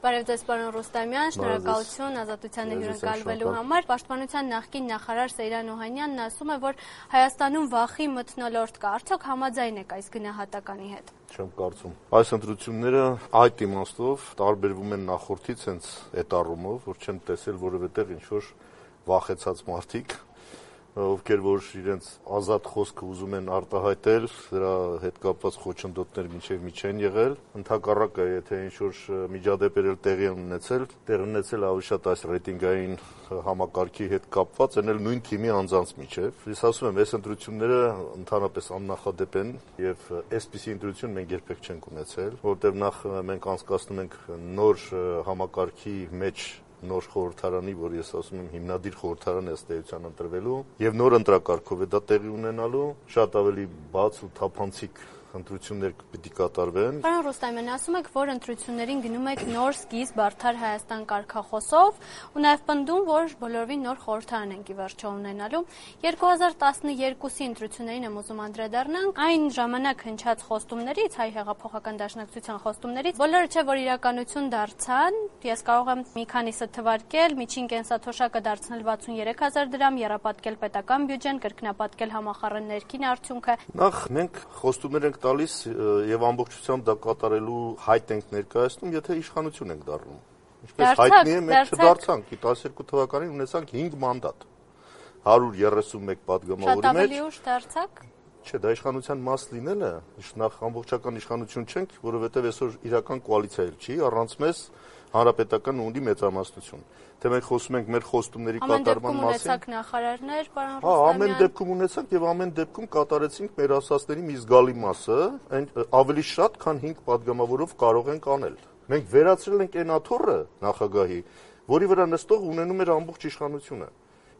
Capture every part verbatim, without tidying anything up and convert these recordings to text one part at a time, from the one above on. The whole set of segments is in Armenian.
Բարև ձեզ, պարոն Ռուստամյան, շնորհակալություն ազատությանը հյուրընկալվելու համար։ Պաշտպանության նախկին նախարար Սեյրան Օհանյանն ասում է, որ Հայաստանում վախի մթնոլորտ կա, արդյոք համաձայն եք այս գնահատականի հետ։ Չեմ կարծում։ Այս ընտրությունները այդ իմաստով տարբերվում են նախորդից հենց այդ առումով, որ չեմ տեսել որևէ տեղ ինչ-որ վախեցած մարդիկ, ովքեր որ իրենց ազատ խոսքը ուզում են արտահայտել, դրա հետ կապված խոչընդոտներ մինչև մի չեն եղել, ընդհակառակը, եթե ինչ-որ միջադեպեր տեղի են ունեցել, տեղ ունեցել ավելի շատ այս ռեյտինգային համակարգի հետ կապված, են էլ նույն թիմի անձանց միջև։ Ես ասում եմ, այս ընտրությունները ընդհանրապես աննախադեպ են եւ այսպիսի ընտրություն մենք երբեք չենք ունեցել, որտեղ նախ մենք անցկացնում ենք նոր համակարգի մեջ նոր խորհրդարանի, որ ես ասում եմ հիմնադիր խորհրդարան է ըստ էության ընտրվելու եւ նոր ընտրակարգով է դա տեղի ունենալու, շատ ավելի բաց ու թափանցիկ ընտրություններ պիտի կատարվեն։ Պարոն Ռուստամյան, ասում եք, որ ընտրություններին գնում եք նոր սկիզբ արդար Հայաստան կարգախոսով ու նաև պնդում, որ բոլորովին նոր խորհրդարան ենք ի վերջո ունենալու։ երկու հազար տասնյոթի ընտրություններին եմ ուզում անդրադառնանք, այն ժամանակ հնչած խոստումներից, Հայ հեղափոխական դաշնակցության խոստումներից, բոլորը չէ որ իրականություն դարձան։ Ես կարող եմ մի քանիսը թվարկել, միջին կենսաթոշակը դարձնել վաթսունյերեք հազար դրամ, եռապատկել պետական բյուջեն, կրկնապատկել համախառն ներքին արդյունքը։ Նախ մենք խոստումներ ենք տալիս եւ ամբողջությամբ դա կատարելու հայտ ենք ներկայացնում, եթե իշխանություն ենք դառնում։ Ինչպես հայտնի է, մենք չդարձանք, տասներկու թվականին ունեցանք հինգ մանդատ, հարյուր երեսունմեկ պատգամավորի մեջ։ Շատ ավելի ուշ դարձաք։ Չէ, դա իշխանության մաս լինելը, նախ ամբողջական իշխանություն չենք, որովհետեւ այսօր իրական կոալիցիա էլ չի, առանց մեզ հանրապետական ունի մեծամասնություն։ Թե մենք խոսում ենք մեր խոստումների կատարման մասին։ Ամեն դեպքում ունեցաք նախարարներ, պարոն Ռուստամյան։ Հա, ամեն դեպքում ունեցանք եւ ամեն դեպքում կատարեցինք մեր ասածների մի զգալի մասը, այն ավելի շատ, քան հինգ պատգամավորով կարող ենք անել։ Մենք վերացրել ենք այն աթոռը նախագահի, որի վրա նստող ունենում էր ամբողջ իշխանությունը։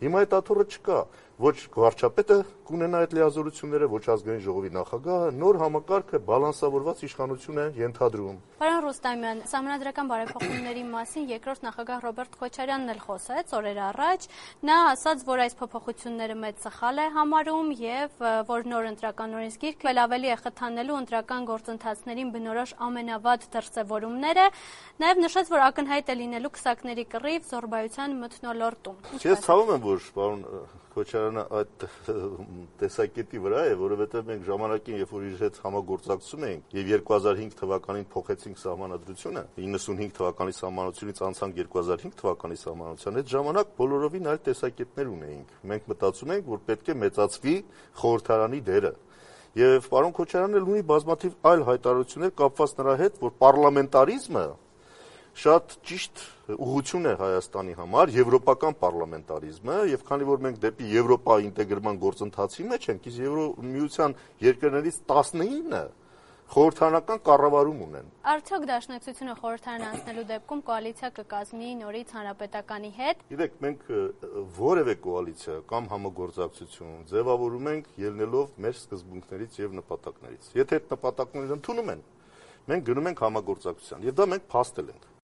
Հիմա այդ աթոռը չկա, ոչ վարչապետը կունենա այդ լիազորությունները, ոչ ազգային ժողովի նախագահը, նոր համակարգը բալանսավորված իշխանություն է ենթադրում։ Պարոն Ռուստամյան, Սահմանադրական բարեփոխումների մասին երկրորդ նախագահ Ռոբերտ Քոչարյանն էլ խոսեց օրեր առաջ, նա ասաց, որ այս փոփոխությունները մեծ սխալ է համարում եւ որ նոր ընտրական օրենսգիրքը ավելի է խթանելու ընտրական գործընթացներին բնորոշ ամենավատ դրսևորումները, նաեւ նշեց, որ ակնհայտ է լինելու քսակների կռիվ զոռբայության մթնոլորտում։ Ես ցավում եմ, որ պարոն Քոչարյանը այդ տեսակետի վրա է, որովհետև մենք ժամանակին, երբ որ իր հետ համագործակցում էինք եւ երկու հազար հինգ թվականին փոխեցինք սահմանադրությունը, իննսունհինգ թվականի սահմանությունից անցանք երկու հազար հինգ թվականի սահմանության, այդ ժամանակ բոլորովին այլ տեսակետներ ունեինք։ Մենք մտածում էինք, որ պետք է մեծացվի խորհրդարանի դերը։ Եվ պարոն Քոչարյանն էլ ունի բազմաթիվ այլ հայտարարություններ կապված նրա հետ, որ պարլամենտարիզմը շատ ճիշտ ուղղություն է Հայաստանի համար, եվրոպական պարլամենտարիզմը, եւ քանի որ մենք դեպի Եվրոպա ինտեգրման գործընթացի մեջ ենք, իսկ Եվրոմիության երկրներից տասնինը խորհրդարանական կառավարում ունեն։ Արդյոք դաշնակցությունը խորհրդարան անցնելու դեպքում կոալիցիա կկազմի նորից հանրապետականի հետ։ Գիտեք, մենք որևէ կոալիցիա կամ համագործակցություն ձևավորում ենք ելնելով մեր սկզբունքներից եւ նպատակներից։ Եթե այդ նպատակները ընդունում են, մենք գնում ենք համագործակցության, եւ դա մենք փաստել ենք։